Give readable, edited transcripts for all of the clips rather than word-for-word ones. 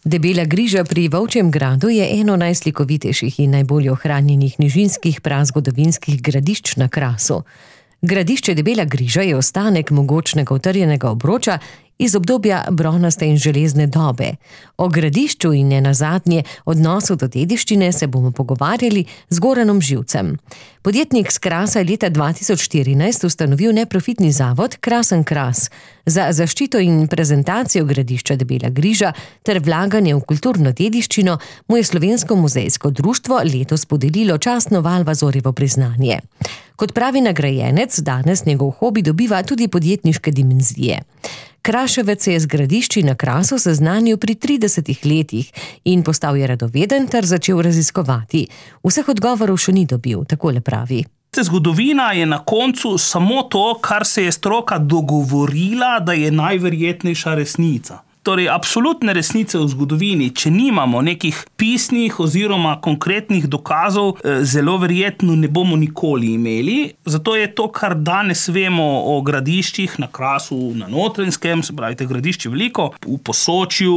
Debela griža pri Volčjem gradu je eno najslikovitejših in najbolj ohranjenih nižinskih prazgodovinskih gradišč na Krasu. Gradišče Debela griža je ostanek mogočnega utrjenega obroča iz obdobja bronaste in železne dobe. O gradišču in nenazadnje odnosu do dediščine se bomo pogovarjali z Goranom Živcem. Podjetnik s Krasa je leta 2014 ustanovil neprofitni zavod Krasen Kras. Za zaščito in prezentacijo gradišča Debela griža ter vlaganje v kulturno dediščino mu je Slovensko muzejsko društvo letos podelilo častno Valvazorjevo priznanje. Kot pravi nagrajenec, danes njegov hobi dobiva tudi podjetniške dimenzije. Kraševec se je z gradišči na Krasu seznanil pri 30 letih in postal je radoveden ter začel raziskovati. Vseh odgovorov še ni dobil, takole pravi. Zgodovina je na koncu samo to, kar se je stroka dogovorila, da je najverjetnejša resnica. Torej, absolutne resnice v zgodovini, če nimamo nekih pisnih oziroma konkretnih dokazov, zelo verjetno ne bomo nikoli imeli. Zato je to, kar danes vemo o gradiščih na Krasu, na Notranjskem, se pravi, te gradišče veliko, v Posočju,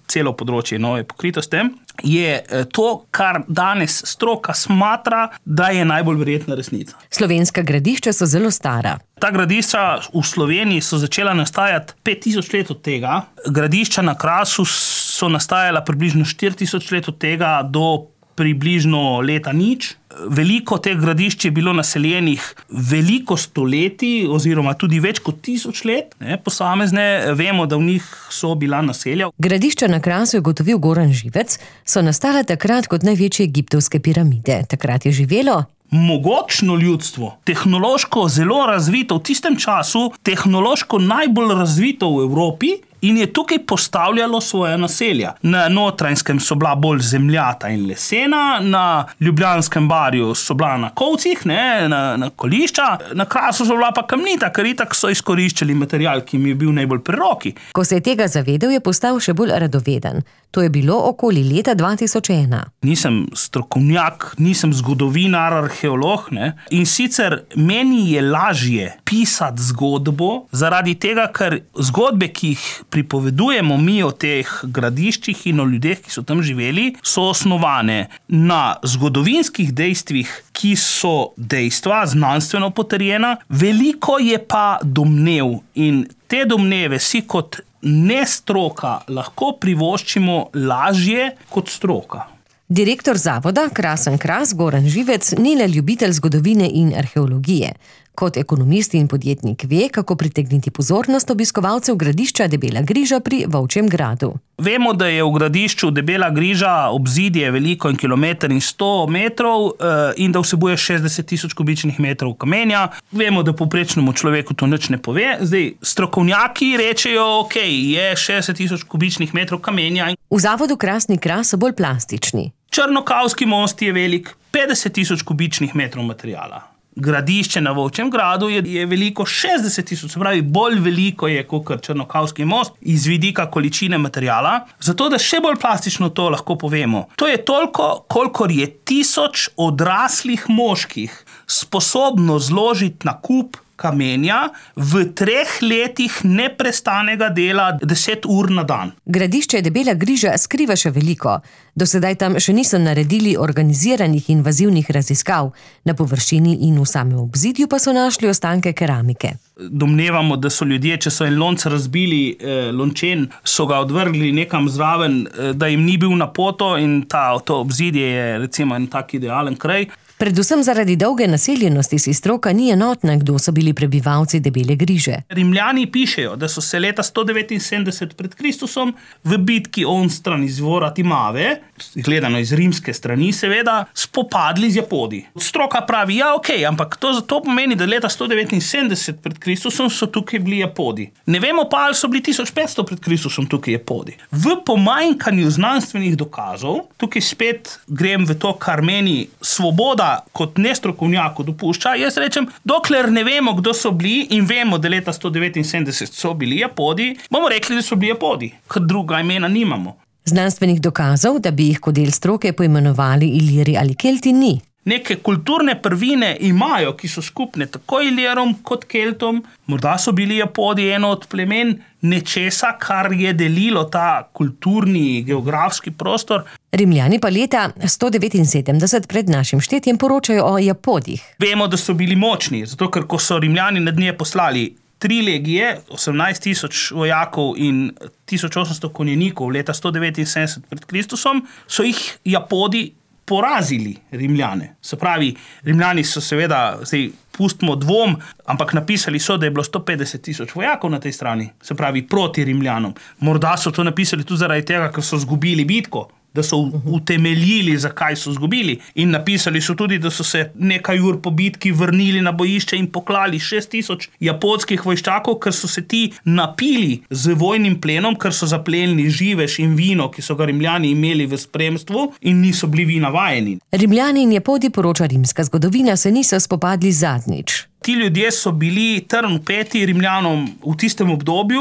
celo področje je pokrito s tem, je to, kar danes stroka smatra, da je najbolj verjetna resnica. Slovenska gradišča so zelo stara. Ta gradišča v Sloveniji so začela nastajati 5000 let od tega. Gradišča na Krasu so nastajala približno 4000 let od tega do približno leta nič. Veliko teh gradišč je bilo naseljenih veliko stoletij oziroma tudi več kot 1000 let. Posamezne vemo, da v njih so bila naselja. Gradišča na Krasu je ugotovil Goran Živec, so nastala takrat kot največje egiptovske piramide. Takrat je živelo mogočno ljudstvo, tehnološko zelo razvito, v tistem času tehnološko najbolj razvito v Evropi in je tukaj postavljalo svoje naselja. Na Notranjskem so bila bolj zemljata in lesena, na Ljubljanskem barju so bila na kovcih, na kolišča, na Krasu so bila pa kamnita, ker itak so izkoriščali material, ki mi je bil najbolj pri roki. Ko se je tega zavedel, je postal še bolj radoveden. To je bilo okoli leta 2001. Nisem strokovnjak, nisem zgodovinar, arheolog, in sicer meni je lažje pisati zgodbo zaradi tega, ker zgodbe, ki jih pripovedujemo mi o teh gradiščih in o ljudeh, ki so tam živeli, so osnovane na zgodovinskih dejstvih, ki so dejstva, znanstveno potrjena, veliko je pa domnev in te domneve si kot nestroka lahko privoščimo lažje kot stroka. Direktor zavoda Krasen Kras Goran Živec ni le ljubitelj zgodovine in arheologije. Kot ekonomist in podjetnik ve, kako pritegniti pozornost obiskovalcev gradišča Debela griža pri Volčjem gradu. Vemo, da je v gradišču Debela griža obzidje veliko in 1,100 metrov in da vsebuje 60 000 kubičnih metrov kamenja. Vemo, da povprečnemu človeku to nič ne pove. Zdaj, strokovnjaki rečejo, ok, je 60 000 kubičnih metrov kamenja. V zavodu Krasni Kras so bolj plastični. Črnokavski most je velik 50 000 kubičnih metrov materijala. Gradišče na Volčjem gradu je veliko 60 000, se pravi, bolj veliko je kot Črnokavski most iz vidika količine materijala. Zato, da še bolj plastično to lahko povemo. To je toliko, kolikor je 1000 odraslih moških sposobno zložiti na kup kamenja v 3 letih neprestanega dela 10 ur na dan. Gradišče Debela griža skriva še veliko. Do sedaj tam še niso naredili organiziranih invazivnih raziskav. Na površini in v samem obzidju pa so našli ostanke keramike. Domnevamo, da so ljudje, če so en lonc razbili, lončen, so ga odvrgli nekam zraven, da jim ni bil na poto in to obzidje je recimo en tak idealen kraj. Predvsem zaradi dolge naseljenosti si stroka ni enotna, kdo so bili prebivalci Debele griže. Rimljani pišejo, da so se leta 179 pred Kristusom v bitki onstran izvora Timave, gledano iz rimske strani seveda, spopadli z Japodi. Stroka pravi, ja, ok, ampak to pomeni, da leta 179 pred Kristusom so tukaj bili Japodi. Ne vemo pa, ali so bili 1500 pred Kristusom tukaj Japodi. V pomanjkanju znanstvenih dokazov, tukaj spet grem v to, kar meni svoboda kot nestrokovnjako dopušča, jaz rečem, dokler ne vemo, kdo so bili in vemo, da leta 179 so bili Japodi, bomo rekli, da so bili Japodi, ker druga imena nimamo. Znanstvenih dokazov, da bi jih kot del stroke poimenovali Iliri ali Kelti, ni. neke kulturne prvine imajo, ki so skupne tako Ilirom kot Keltom. Morda so bili Japodi eno od plemen nečesa, kar je delilo ta kulturni, geografski prostor. Rimljani pa leta 179 pred našim štetjem poročajo o Japodih. Vemo, da so bili močni, zato ker ko so Rimljani nad nje poslali 3 legije, 18,000 vojakov in 1800 konjenikov leta 179 pred Kristusom, so jih Japodi porazili Rimljane. Se pravi, Rimljani so seveda, zdaj pustimo dvom, ampak napisali so, da je bilo 150,000 vojakov na tej strani, se pravi proti Rimljanom. Morda so to napisali tudi zaradi tega, ker so izgubili bitko, da so utemeljili, zakaj so izgubili. In napisali so tudi, da so se nekaj ur po bitki vrnili na bojišče in poklali 6,000 japonskih vojščakov, ker so se ti napili z vojnim plenom, ker so zaplenili živež in vino, ki so ga Rimljani imeli v spremstvu in niso bili vina vajeni. Rimljani in Japodi, poroča rimska zgodovina, se niso spopadli zadnjič. Ti ljudje so bili trn v peti Rimljanom v tistem obdobju,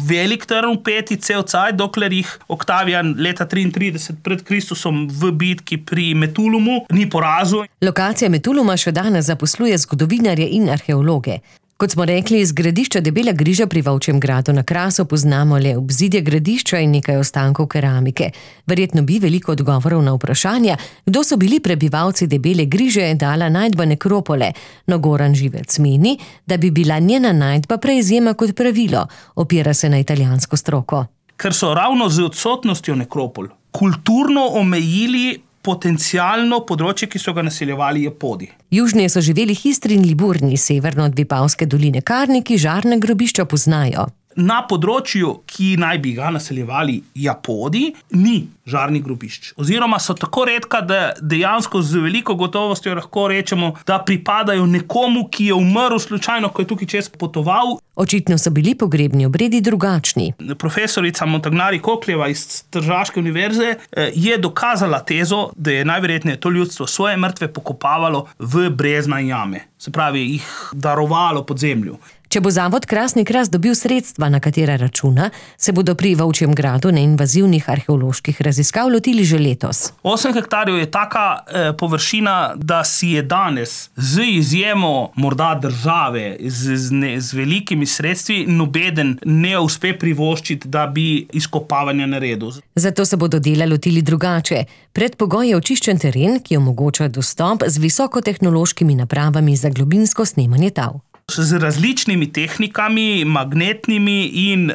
velik trn v peti cel cajt, dokler jih Oktavijan leta 33 pred Kristusom v bitki pri Metulumu ni porazil. Lokacija Metuluma še danes zaposluje zgodovinarje in arheologe. Kot smo rekli, iz gradišča Debela Griža pri Volčjem Gradu na Krasu poznamo le obzidje gradišča in nekaj ostankov keramike. Verjetno bi veliko odgovorov na vprašanja, kdo so bili prebivalci Debele Griže, dala najdba nekropole, no Goran Živec meni, da bi bila njena najdba prej izjema kot pravilo, opira se na italijansko stroko. Ker so ravno z odsotnostjo nekropol kulturno omejili potencialno področje, ki so ga naseljevali Japodi. Južneje so živeli Histri in Liburni, severno od Vipavske doline Karniki žarna grobišča poznajo. Na področju, ki naj bi ga naseljevali Japodi, ni žarnih grobišč. Oziroma so tako redka, da dejansko z veliko gotovostjo lahko rečemo, da pripadajo nekomu, ki je umrl slučajno, ko je tukaj čez potoval. Očitno so bili pogrebni obredi drugačni. Profesorica Montagnari Kokljeva iz Tržaške univerze je dokazala tezo, da je najverjetneje to ljudstvo svoje mrtve pokopavalo v brezna jame. Se pravi, jih darovalo pod zemljo. Če bo zavod Krasni Kras dobil sredstva, na katera računa, se bodo pri Volčjem Gradu neinvazivnih arheoloških raziskav lotili že letos. 8 hektarjev je taka površina, da si je danes z izjemo morda države, z velikimi sredstvi, nobeden ne uspe privoščiti, da bi izkopavanja naredil. Zato se bodo dela lotili drugače. Predpogoj je očiščen teren, ki omogoča dostop z visokotehnološkimi napravami za globinsko snemanje tal. Z različnimi tehnikami, magnetnimi in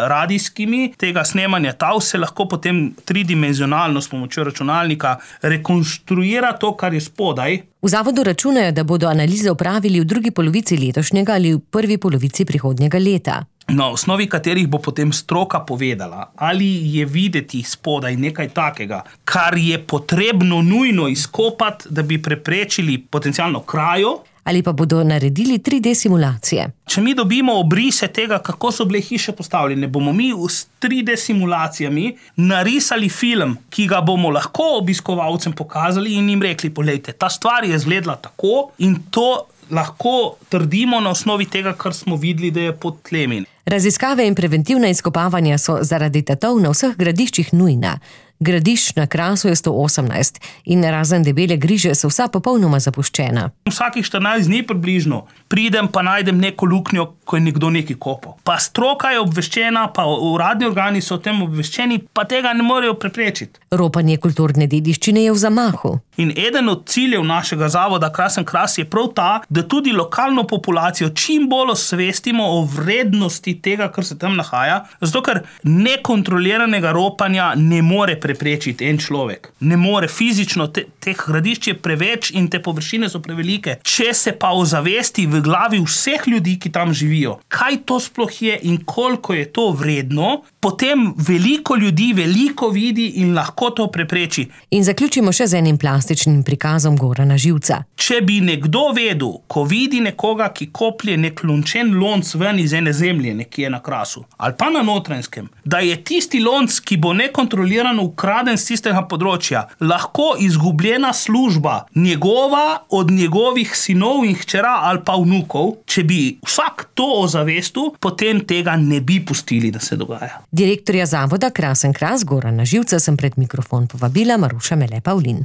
radijskimi tega snemanja tal se lahko potem tridimenzionalno s pomočjo računalnika rekonstruira to, kar je spodaj. V zavodu računajo, da bodo analize opravili v drugi polovici letošnjega ali v prvi polovici prihodnjega leta. Na osnovi katerih bo potem stroka povedala, ali je videti spodaj nekaj takega, kar je potrebno nujno izkopati, da bi preprečili potencialno krajo, ali pa bodo naredili 3D simulacije. Če mi dobimo obrise tega, kako so bile hiše postavljene, bomo mi s 3D simulacijami narisali film, ki ga bomo lahko obiskovalcem pokazali in jim rekli, poglejte, ta stvar je izgledala tako in to lahko trdimo na osnovi tega, kar smo videli, da je pod tlemi. Raziskave in preventivna izkopavanja so zaradi tatov na vseh gradiščih nujna. Gradišč na Krasu je 118 in razen Debele Griže so vsa popolnoma zapuščena. Vsakih 14 dni približno pridem pa najdem neko luknjo, ko je nekdo nekaj kopal. Pa stroka je obveščena, pa uradni organi so o tem obveščeni, pa tega ne morejo preprečiti. Ropanje kulturne dediščine je v zamahu. In eden od ciljev našega zavoda Krasen Kras je prav ta, da tudi lokalno populacijo čim bolj osvestimo o vrednosti tega, kar se tam nahaja, zato ker nekontroliranega ropanja ne more preprečiti en človek. Ne more fizično, teh gradišč je preveč in te površine so prevelike. Če se pa ozavesti v glavi vseh ljudi, ki tam živijo, kaj to sploh je in koliko je to vredno, potem veliko ljudi veliko vidi in lahko to prepreči. In zaključimo še z enim plastičnim prikazom Gorana Živca. Če bi nekdo vedel, ko vidi nekoga, ki koplje nek lončen lonc ven iz ene zemlje, nekje na Krasu, ali pa na Notranjskem, da je tisti lonc, ki bo nekontrolirano ukraden z tistega področja, lahko izgubljena služba njegova od njegovih sinov in hčera ali pa vnukov, če bi vsak to ozavestil, potem tega ne bi pustili, da se dogaja. Direktorja zavoda Krasen Kras Gorana Živca sem pred mikrofon povabila Maruša Mele Pavlin.